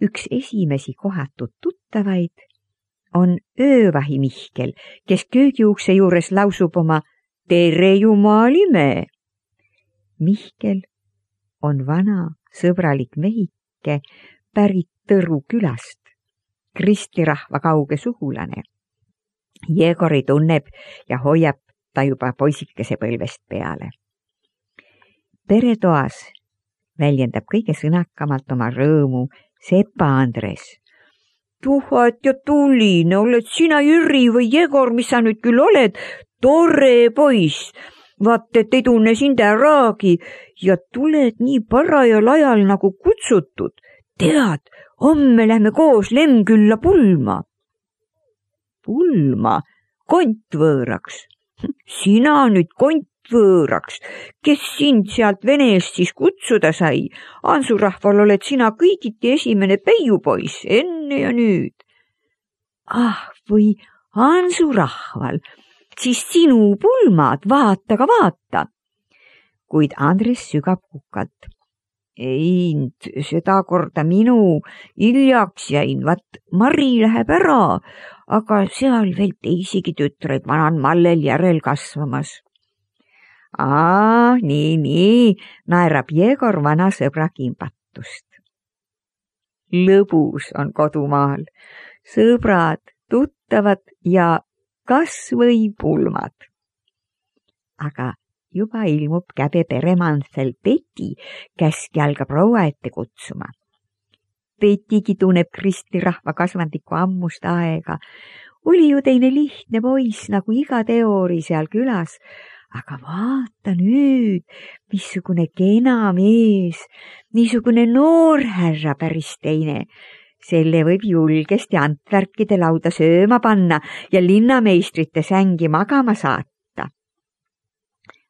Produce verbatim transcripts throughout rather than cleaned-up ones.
üks esimesi kohatud tuttavaid on öövahi Mihkel, kes köögiukse juures lausub oma tere jumalime. Mihkel on vana sõbralik mehike pärit Tõru külast, kristirahva kauge sugulane. Jegori tunneb ja hoiab ta juba poisikese põlvest peale. Peretoas väljendab kõige sõnakamalt oma rõõmu Sepa Andres. Tuhat ja tuline, oled sina Jüri või Jegor, mis sa nüüd küll oled? Tore poiss, vaat et ei tunne sind äragi ja tuled nii parajal ajal nagu kutsutud. Tead, homme lähme koos Lemkülla pulma. Pulma? Kontvõõraks. Sina nüüd kontvõõraks. Kes sind sealt Venest siis kutsuda sai? Ansurahval oled sina kõigiti esimene peiupoiss, enne ja nüüd. Ah, või Ansurahval, siis sinu pulmad, vaata ka vaata. Kuid Andres sügab kukalt. Ei, seda korda minu hiljaks jäin, vaat Mari läheb ära, aga seal veel teisigi tütreid vanan mallel järel kasvamas. Aa, nii, nii, naerab Jegor vana sõbra kimpatust. Lõbus on kodumaal, sõbrad, tuttavad ja kas või pulmad. Aga juba ilmub käbe peremandsel Peti, käski algab proua ette kutsuma. Petigi tunneb kristirahva kasvandiku ammust aega. Oli ju teine lihtne poiss nagu iga teori seal külas, aga vaata nüüd, missugune kena mees, niisugune noorhärra päris teine. Selle võib julgesti Antwerkide lauda sööma panna ja linnameistrite sängi magama saata.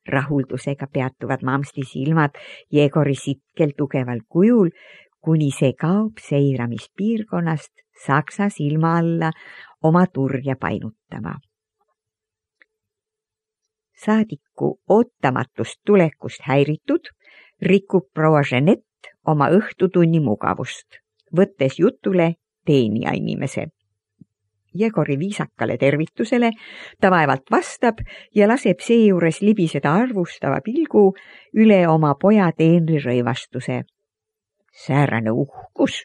Rahuldusega peatuvad mamsti silmad Jegori sitkel tugeval kujul, kuni see kaob seiramispiirkonnast Saksa silma alla oma turja painutama. Saadiku ootamatust tulekust häiritud rikub proua Jeanette oma õhtutunni mugavust, võttes jutule teenija inimese. Jegori viisakale tervitusele ta vaevalt vastab ja laseb seejuures libiseda arvustava pilgu üle oma poja teenri rõivastuse. Säärane uhkus,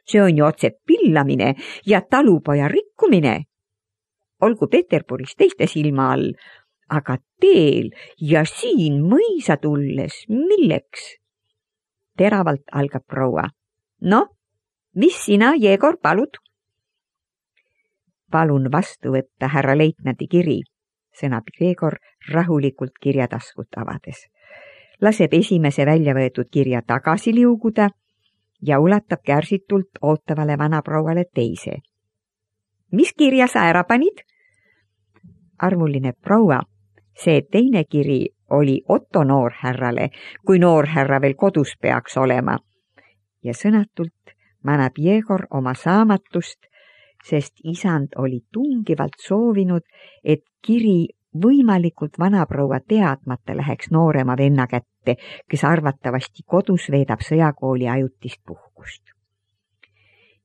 see on ju otse pillamine ja talupoja rikkumine. Olgu Peterburis teiste silma all, aga teel ja siin mõisa tulles, milleks? Teravalt algab proua. No, mis sina, Jegor, palud? Palun vastu võtta härra leitnandi kiri, sõnab Jegor rahulikult kirjataskut avades. Laseb esimese välja võetud kirja tagasi liuguda ja ulatab kärsitult ootavale vanaprouale teise. Mis kirja sa ära panid? Armuline proua, see teine kiri oli Otto noorhärrale, kui noorhärra veel kodus peaks olema. Ja sõnatult manab Jegor oma saamatust, sest isand oli tungivalt soovinud, et kiri võimalikult vanaproua teadmata läheks noorema venna kätte, kes arvatavasti kodus veedab sõjakooli ajutist puhkust.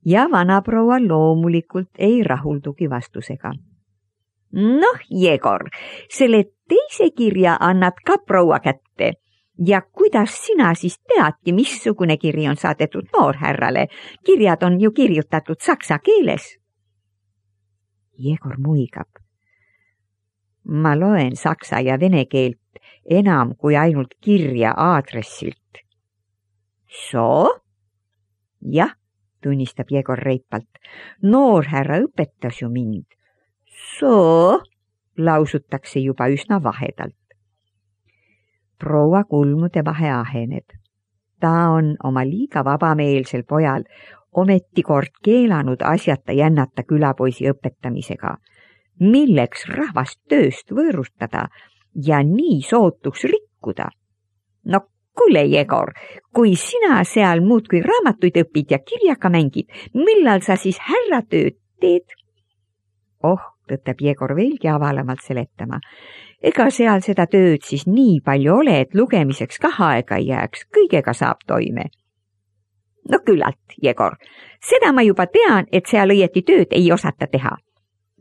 Ja vanaproua loomulikult ei rahuldugi vastusega. Noh, Jegor, selle teise kirja annad ka proua kätte. Ja kuidas sina siis teadki, missugune kiri on saadetud noorhärrale? Kirjad on ju kirjutatud saksa keeles. Jegor muigab. Ma loen saksa ja vene keelt enam kui ainult kirja aadressilt. So? Jah, tunnistab Jegor reipalt. Noorhärra õpetas ju mind. So? Lausutakse juba üsna vahedalt. Proua kulmude vahe aheneb. Ta on oma liiga vabameelsel pojal ometi kord keelanud asjata jännata külapoisi õpetamisega, milleks rahvast tööst võõrustada ja nii sootuks rikkuda. No kuule, Jegor, kui sina seal muudkui raamatuid õpid ja kirjaka mängid, millal sa siis härratööd teed? Oh, tõttab Jegor veelgi avalamalt seletama. Ega seal seda tööd siis nii palju ole, et lugemiseks ka aega ei jääks, kõigega saab toime. No küllalt, Jegor. Seda ma juba tean, et seal õieti tööd ei osata teha.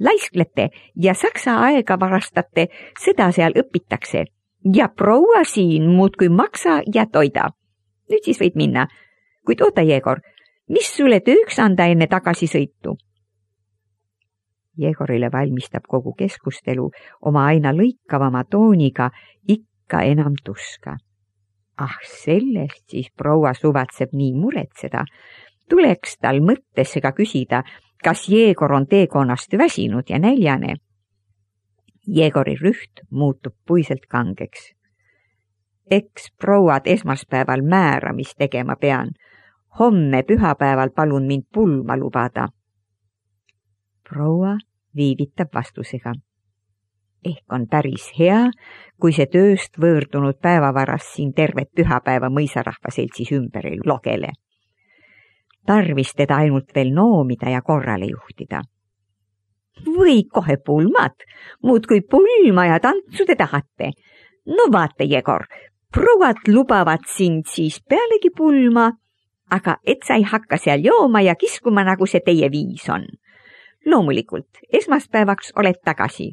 Laisklete ja saksa aega varastate, seda seal õpitakse. Ja proua siin muudkui maksa ja toida. Nüüd siis võid minna. Kuid oota, Jegor, mis sulle tööks anda enne tagasisõitu? Jegorile valmistab kogu keskustelu oma aina lõikavama tooniga ikka enam tuska. Ah, sellest siis proua suvatseb nii muretseda. Tuleks tal mõttesse ka küsida, kas Jegor on teekonnast väsinud ja näljane. Jegori rüht muutub puiselt kangeks. Eks prouad esmaspäeval määra, mis tegema pean. Homme pühapäeval palun mind pulma lubada. Proua viivitab vastusega. Ehk on päris hea, kui see tööst võõrdunud päevavaras siin tervet pühapäeva mõisarahva seltsis ümber ei logele. Tarvis teda ainult veel noomida ja korrale juhtida. Või kohe pulmad, muud kui pulma ja tantsu te tahate. No vaata, Jegor, prouad lubavad sind siis pealegi pulma, aga et sa ei hakka seal jooma ja kiskuma, nagu see teie viis on. Loomulikult, esmaspäevaks oled tagasi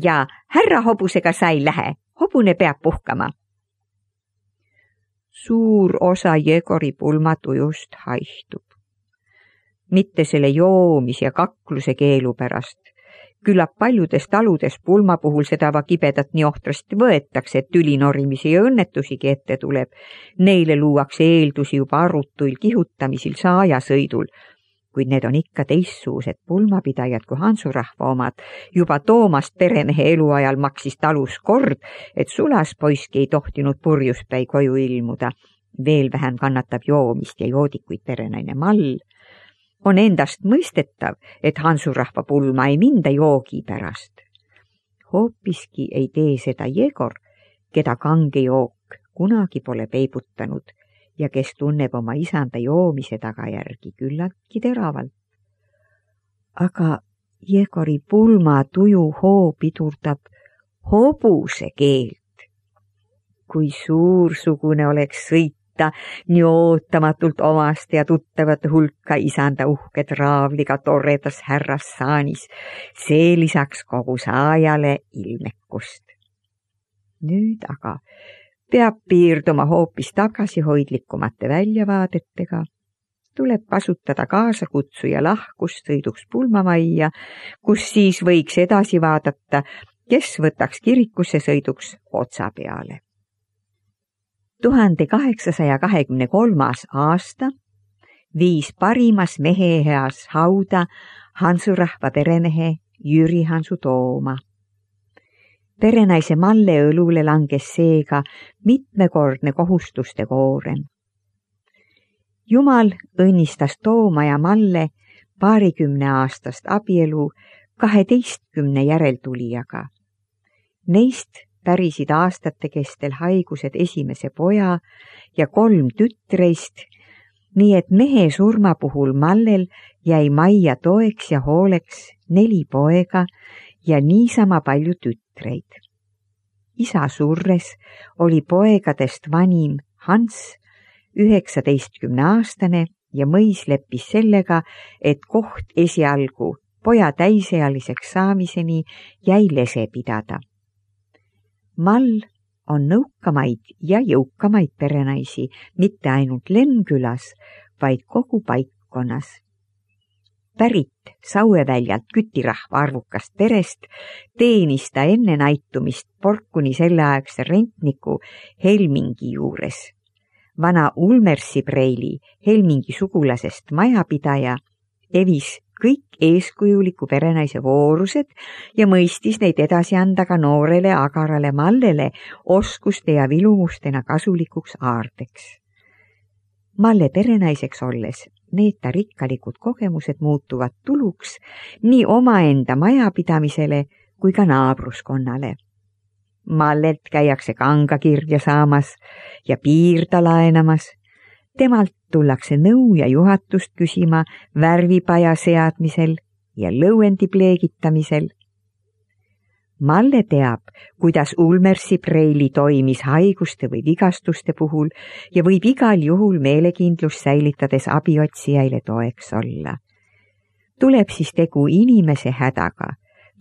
ja härra hobusega sa ei lähe, hobune peab puhkama. Suur osa Jegori pulmatujust haihtub. Mitte selle joomis ja kakluse keelu pärast. Küllap paljudes taludes pulma puhul seda va kibedat nii ohtrasti võetakse, et tülinorimisi ja õnnetusigi ette tuleb. Neile luuakse eeldusi juba arutuil kihutamisil saajasõidul, kuid need on ikka teissuused pulmapidajad kui hansurahva omad. Juba Toomast peremehe eluajal maksis talus kord, et sulaspoiski ei tohtinud purjuspäi koju ilmuda. Veel vähem kannatab joomist ja joodikuid perenaine Mall. On endast mõistetav, et hansurahva pulma ei minda joogi pärast. Hoopiski ei tee seda Jegor, keda kange jook kunagi pole peibutanud ja kes tunneb oma isanda joomise tagajärgi küllaltki teravalt. Aga Jegori pulma tuju hoo pidurdab hobuse keelt. Kui suursugune oleks sõita nii ootamatult omast ja tuttavate hulka isanda uhke traavliga torredas härras saanis, see lisaks kogu saajale ilmekust. Nüüd aga peab piirduma hoopis tagasihoidlikumate väljavaadetega. Tuleb kasutada kaasakutsuja lahkust sõiduks pulmamajja, kus siis võiks edasi vaadata, kes võtaks kirikusse sõiduks otsa peale. tuhande kaheksasaja kahekümne kolmas aasta viis parimas meheheas hauda hansurahva peremehe Jüri Hansu Tooma. Perenaise Malle õlule langes seega mitmekordne kohustuste koorem. Jumal õnnistas Tooma ja Malle paarikümne aastast abielu kaheteistkümne järeltulijaga. Neist pärisid aastate kestel haigused esimese poja ja kolm tütreist, nii et mehe surma puhul Mallel jäi majja toeks ja hooleks neli poega ja niisama palju tütreid. Isa surres oli poegadest vanim Hans, üheksateistkümne aastane ja mõis leppis sellega, et koht esialgu poja täisealiseks saamiseni jäi lese pidada. Mall on nõukamaid ja jõukamaid perenaisi mitte ainult Lemkülas, vaid kogu paikkonnas. Pärit Saueväljalt kütirahva arvukast perest teenis ta enne naitumist Porkuni selleaegse rentniku Helmingi juures. Vana Ulmersi Preili Helmingi sugulasest majapidaja evis kõik eeskujuliku perenaise voorused ja mõistis neid edasi anda ka noorele agarale Mallele oskuste ja vilumustena kasulikuks aardeks. Malle perenaiseks olles need ta rikkalikud kogemused muutuvad tuluks nii omaenda majapidamisele kui ka naabruskonnale. Mallelt käiakse kanga kirja saamas ja piirda laenamas. Temalt tullakse nõu ja juhatust küsima värvipaja seadmisel ja lõuendi pleegitamisel. Malle teab, kuidas Ulmersi preili toimis haiguste või vigastuste puhul ja võib igal juhul meelekindlust säilitades abiotsijaile toeks olla. Tuleb siis tegu inimese hädaga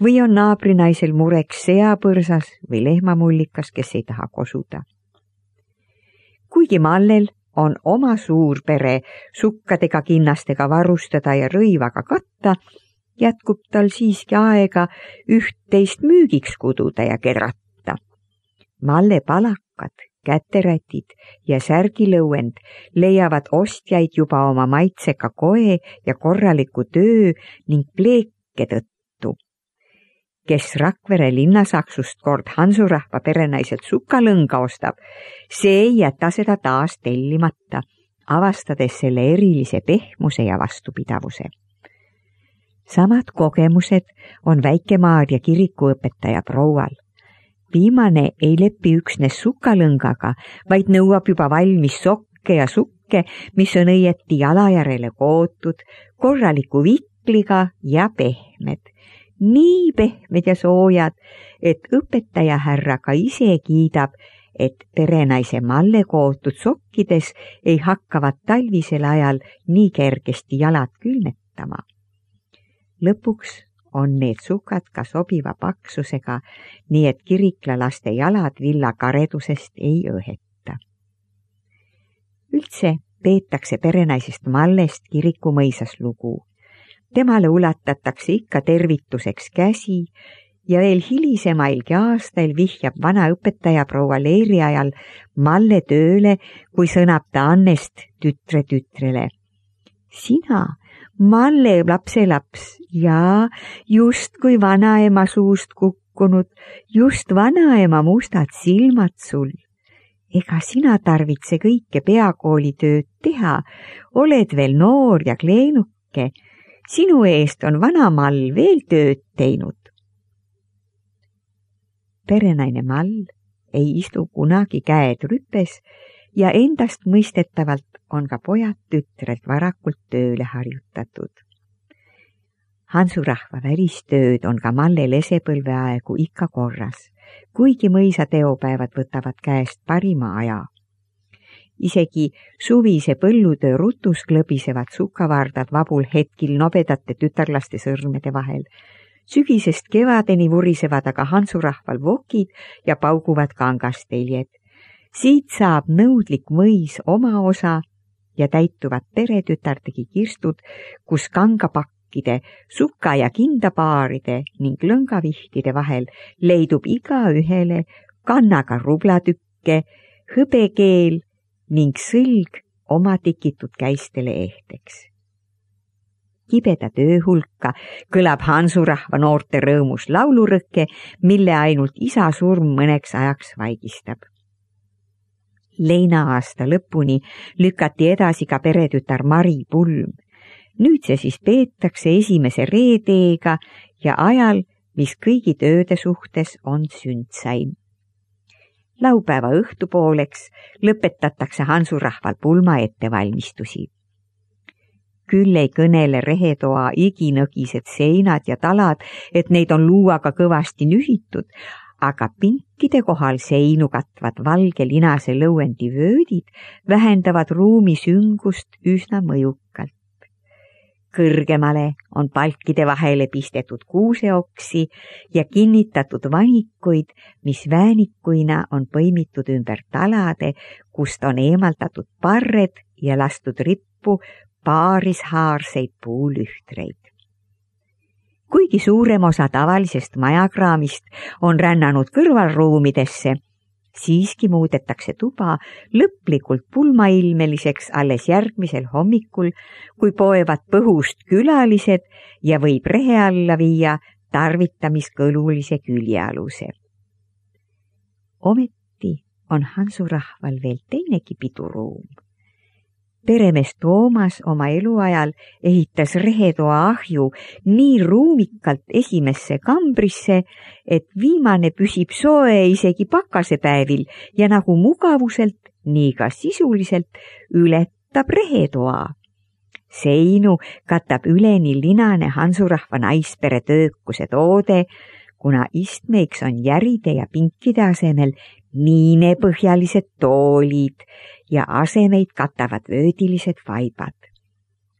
või on naabrinaisel mureks seapõrsas või lehmamullikas, kes ei taha kosuda. Kuigi Mallel on oma suur pere sukkadega, kinnastega varustada ja rõivaga katta, jätkub tal siiski aega üht-teist müügiks kududa ja kerata. Malle palakad, käterätid ja särgilõuend leiavad ostjaid juba oma maitseka koe ja korraliku töö ning pleeke tõttu. Kes Rakvere linnasaksust kord hansurahva perenaiselt sukalõnga ostab, see ei jäta seda taas tellimata, avastades selle erilise pehmuse ja vastupidavuse. Samad kogemused on Väike-Maarja kirikuõpetaja proual. Viimane ei lepi üksnes sukalõngaga, vaid nõuab juba valmis sokke ja sukke, mis on õieti jalajärele kootud, korraliku vikliga ja pehmed. Nii pehmed ja soojad, et õpetaja härra ka ise kiidab, et perenaise Malle kootud sokkides ei hakkavad talvisel ajal nii kergesti jalad külmetama. Lõpuks on need sukad ka sobiva paksusega, nii et kiriklalaste jalad villakaredusest ei õheta. Üldse peetakse perenaisest Mallest kirikumõisas lugu. Temale ulatatakse ikka tervituseks käsi ja veel hilisemailgi aastail vihjab vana õpetaja proua Leeri ajal Malle tööle, kui sõnab ta Annest tütre tütrele. Sina, Malle lapselaps, ja just kui vanaema suust kukkunud, just vanaema mustad silmad sul. Ega sina tarvitse kõike peakoolitööd teha, oled veel noor ja kleenuke. Sinu eest on vana Mall veel tööd teinud. Perenaine Mall ei istu kunagi käed rüpes ja endast mõistetavalt on ka pojad tütrelt varakult tööle harjutatud. Hansurahva välistööd on ka Malle lesepõlveaegu ikka korras, kuigi mõisa teopäevad võtavad käest parima aja. Isegi suvise põllutöö rutus klõbisevad sukavardad vabul hetkil nobedate tütarlaste sõrmede vahel. Sügisest kevadeni vurisevad aga hansurahval vokid ja pauguvad kangasteljed. Siit saab nõudlik mõis oma osa ja täituvad peretütardegi kirstud, kus kangapakkide, suka- ja kindapaaride ning lõngavihtide vahel leidub iga ühele kannaga rublatükke, hõbekeel ning sõlg oma tikitud käistele ehteks. Kibeda töö hulka kõlab hansurahva noorte rõõmus laulurõkke, mille ainult isa surm mõneks ajaks vaigistab. Leina aasta lõpuni lükati edasi ka peretütar Mari pulm. Nüüd see siis peetakse esimese reedeega ja ajal, mis kõigi tööde suhtes on sündsaim. Laupäeva õhtupooleks lõpetatakse hansurahval pulma ettevalmistusi. Küll ei kõnele rehetoa iginõgised seinad ja talad, et neid on luuaga kõvasti nühitud, aga pinkide kohal seinu katvad valge linase lõuendi vöödid vähendavad ruumi süngust üsna mõjukalt. Kõrgemale on palkide vahele pistetud kuuseoksi ja kinnitatud vanikuid, mis väänikuina on põimitud ümber talade, kust on eemaldatud parred ja lastud rippu paarishaarseid puulühtreid. Kuigi suurem osa tavalisest majakraamist on rännanud kõrvalruumidesse, siiski muudetakse tuba lõplikult pulmailmeliseks alles järgmisel hommikul, kui poevad põhust külalised ja võib rehe alla viia tarvitamiskõlulise küljealuse. Ometi on hansurahval veel teinegi piduruum. Peremees Toomas oma eluajal ehitas rehetoa ahju nii ruumikalt esimesse kambrisse, et viimane püsib soe isegi pakasepäevil ja nagu mugavuselt, nii ka sisuliselt ületab rehetoa. Seinu katab üleni linane hansurahva naispere töökuse toode, kuna istmeiks on järide ja pinkide asemel niinepõhjalised toolid ja asemeid katavad vöödilised vaibad.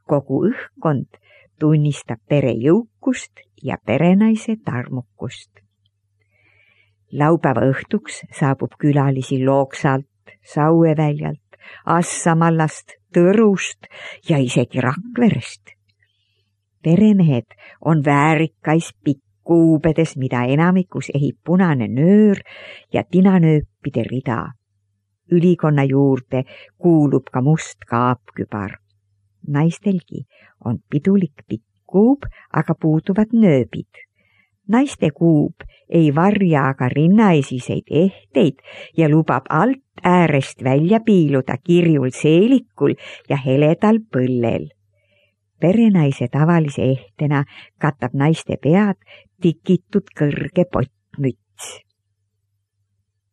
Kogu õhkkond tunnistab pere jõukust ja perenaise tarmukust. Laupäeva õhtuks saabub külalisi Looksalt, Saueväljalt, Assamallast, Tõrust ja isegi Rakverest. Peremehed on väärikais pikkuubedes, mida enamikus ehib punane nöör ja tinanööpide rida. Ülikonna juurde kuulub ka must kaapkübar. Naistelgi on pidulik pikkuub, aga puuduvad nööbid. Naiste kuub ei varja aga rinnaesiseid ehteid ja lubab alt äärest välja piiluda kirjul seelikul ja heledal põllel. Perenaise tavalise ehtena katab naiste pead tikitud kõrge pottmüts.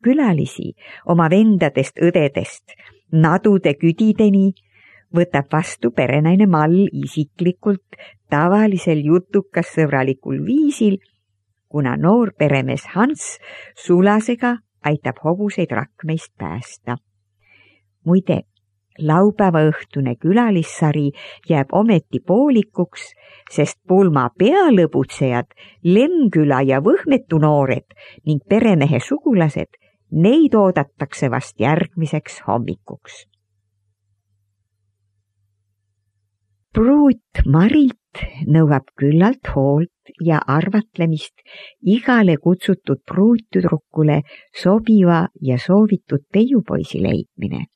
Külalisi oma vendadest, õdedest, nadude küdideni võtab vastu perenaine Mall isiklikult tavalisel jutukas sõbralikul viisil, kuna noor peremees Hans sulasega aitab hobuseid rakmeist päästa. Muide, laupäeva õhtune külalissari jääb ometi poolikuks, sest pulma pealõbutsejad, Lemküla ja Võhmetu noored ning peremehe sugulased, neid oodatakse vast järgmiseks hommikuks. Pruut Marilt nõuab küllalt hoolt ja arvatlemist igale kutsutud pruuttüdrukule sobiva ja soovitud peiupoisi leidmine.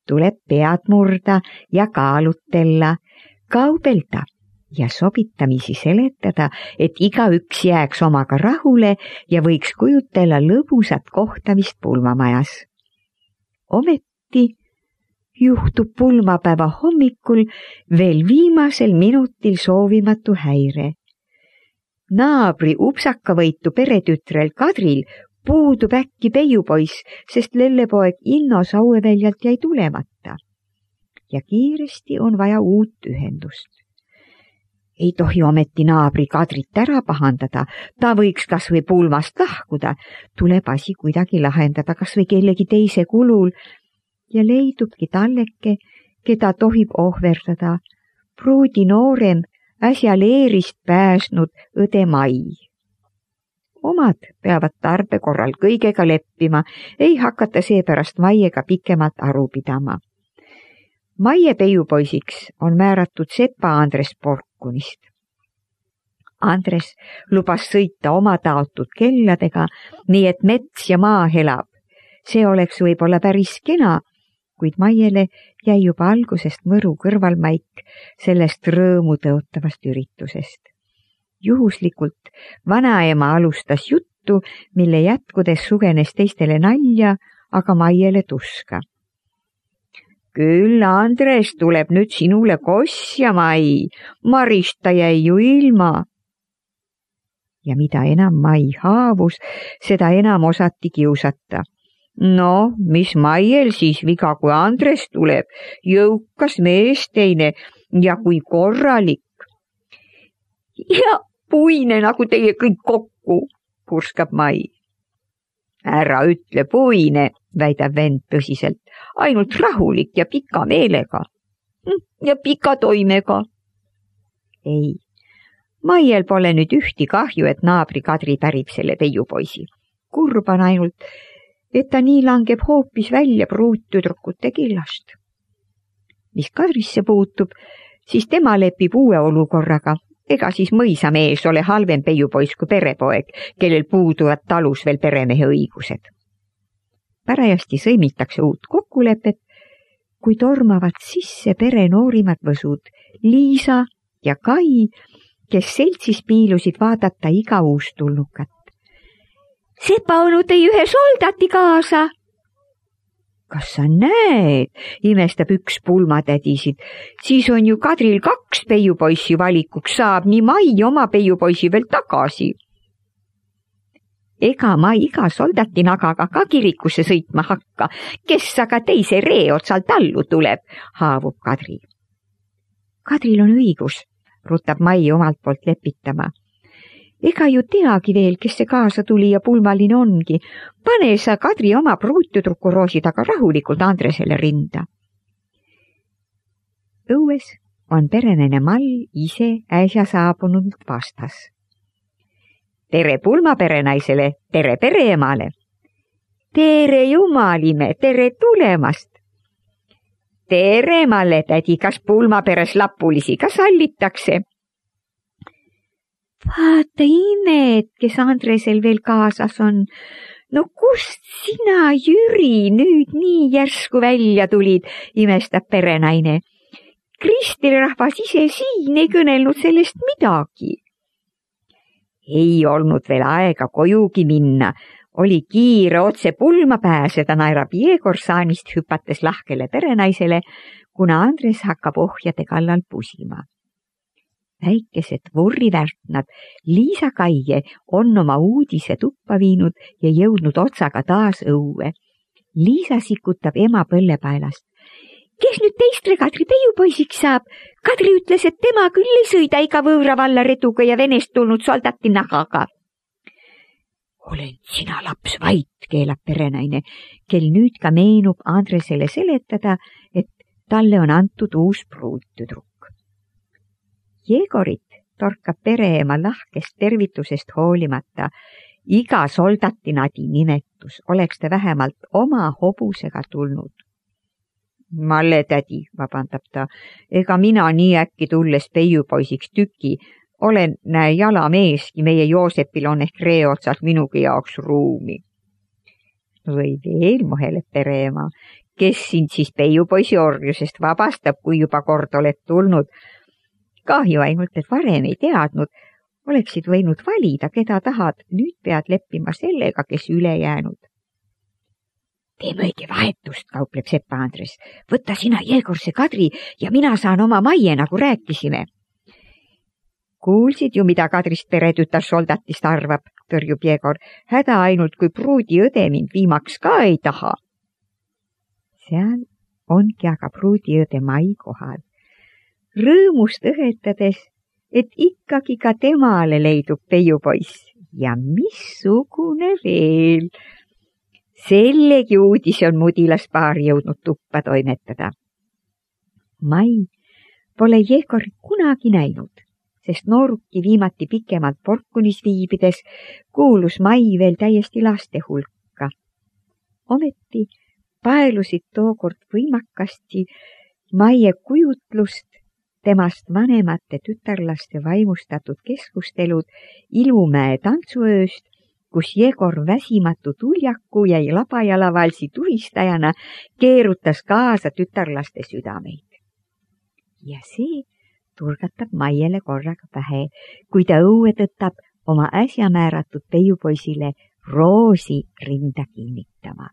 Tuleb pead murda ja kaalutella, kaubelda ja sobitamisi seletada, et igaüks jääks omaga rahule ja võiks kujutella lõbusat kohtamist pulmamajas. Ometi juhtub pulmapäeva hommikul veel viimasel minutil soovimatu häire. Naabri upsakavõitu peretütrel Kadril puudub äkki peiupoiss, sest lellepoeg Inno Saueväljalt jäi tulemata. Ja kiiresti on vaja uut ühendust. Ei tohi ometi naabri Kadrit ära pahandada, ta võiks kas või pulmast lahkuda, tuleb asi kuidagi lahendada kas või kellegi teise kulul, ja leidubki talleke, keda tohib ohverdada, pruudi noorem, äsja leerist pääsnud õde Mai. Omad peavad tarbe korral kõigega leppima, ei hakata seepärast Maiega pikemalt aru pidama. Maie peiupoisiks on määratud sepa Andres Porkunist. Andres lubas sõita oma taotud kelladega, nii et mets ja maa helab. See oleks võib-olla päris kena, kuid Maiele jäi juba algusest mõru kõrvalmaik sellest rõõmu tõotavast üritusest. Juhuslikult vanaema alustas juttu, mille jätkudes sugenes teistele nalja, aga Maiele tuska. Küll Andres tuleb nüüd sinule kossja, Mai, Marista jäi ju ilma. Ja mida enam Mai haavus, seda enam osati kiusata. No, mis Maiel siis viga, kui Andres tuleb, jõukas mees teine ja kui korralik. Ja puine nagu teie kõik kokku, purskab Mai. Ära ütle puine, väidab vend tõsiselt, ainult rahulik ja pika meelega. Ja pika toimega. Ei, Maiel pole nüüd ühti kahju, et naabri Kadri pärib selle peiupoisi. Kurban ainult, et ta nii langeb hoopis välja pruuttüdrukute killast. Mis Kadrisse puutub, siis tema lepib uue olukorraga. Ega siis mõisamees ole halvem peiupoiss kui perepoeg, kellel puuduvad talus veel peremehe õigused. Parajasti sõimitakse uut kokkulepet, kui tormavad sisse pere noorimad võsud Liisa ja Kai, kes seltsis piilusid vaadata iga uustulnukat. Sepa onu tõi ühe soldati kaasa. Kas sa näed, imestab üks pulmatädisid, siis on ju Kadril kaks peiupoissi valikuks, saab nii Mai oma peiupoisi veel tagasi. Ega ma iga soldati nagaga ka kirikusse sõitma hakka, kes aga teise ree otsalt allu tuleb, haavub Kadri. Kadril on õigus, rutab Mai omalt poolt lepitama. ega ju teagi veel, kes see kaasa tuli ja pulmaline ongi. Pane sa Kadri oma pruutüdruku roosi taga rahulikult Andresele rinda. Õues on perenaine Mall ise äsja saabunud vastas. Tere pulma perenaisele, tere pereemale. Tere jumalime, tere tulemast. Tere Malle tädi, kas pulmaperes lapulisi ka sallitakse? Vaata imed, kes Andresel veel kaasas on. No kust sina, Jüri, nüüd nii järsku välja tulid, imestab perenaine. Kristilrahvas ise siin ei kõnelnud sellest midagi. Ei olnud veel aega kojugi minna. Oli kiire otse pulma pääseda, naerab Jegor saanist hüpates lahkele perenaisele, kuna Andres hakkab ohjade kallal pusima. Väikesed vorrivärtnad Liisa Kaie on oma uudise tuppa viinud ja jõudnud otsaga taas õue. Liisa sikutab ema põllepaelast. Kes nüüd teistre Kadri peiupoisiks saab? Kadri ütles, et tema küll ei sõida iga võõra valla reduga ja Venest tulnud soldati nagaga. Olen sina laps vait, keelab perenaine, kel nüüd ka meenub Andresele seletada, et talle on antud uus pruuttüdruk. Jegorit torkab pereema lahkest tervitusest hoolimata. Iga soldatinadi nimetus oleks ta vähemalt oma hobusega tulnud. Malle tädi, vabandab ta, ega mina nii äkki tulles peiupoisiks tüki. Olen näe jalameeski, meie Joosepil on ehk reeotsalt minugi jaoks ruumi. Või veel moheleb pereema, kes sind siis peiupoisi orjusest vabastab, kui juba kord oled tulnud. Kahju ainult, et varem ei teadnud, oleksid võinud valida, keda tahad, nüüd pead leppima sellega, kes üle jäänud. Teeme õige vahetust, kaupleb Sepa Andres. Võtta sina Jegorse Kadri ja mina saan oma Maie, nagu rääkisime. Kuulsid ju, mida Kadrist peretütar soldatist arvab, tõrjub Jegor. Häda ainult, kui pruudi õde mind viimaks ka ei taha. Seal ongi aga pruudi õde Mai kohal. Rõõmust õhetades, et ikkagi ka temale leidub peiupoiss. Ja missugune veel? Sellegi uudise on mudilaspaar jõudnud tuppa toimetada. Mai pole Jegorit kunagi näinud, sest nooruki viimati pikemalt Porkunis viibides kuulus Mai veel täiesti laste hulka. Ometi paelusid tookord võimakasti Maie kujutlust temast vanemate tütarlaste vaimustatud keskustelud Ilumäe tantsuööst, kus Jegor väsimatu tuljaku ja labajalavalsi tuhistajana keerutas kaasa tütarlaste südameid. Ja see turgatab Maiele korraga pähe, kui ta õue tõttab oma äsja määratud peiupoisile roosi rinda kinnitama.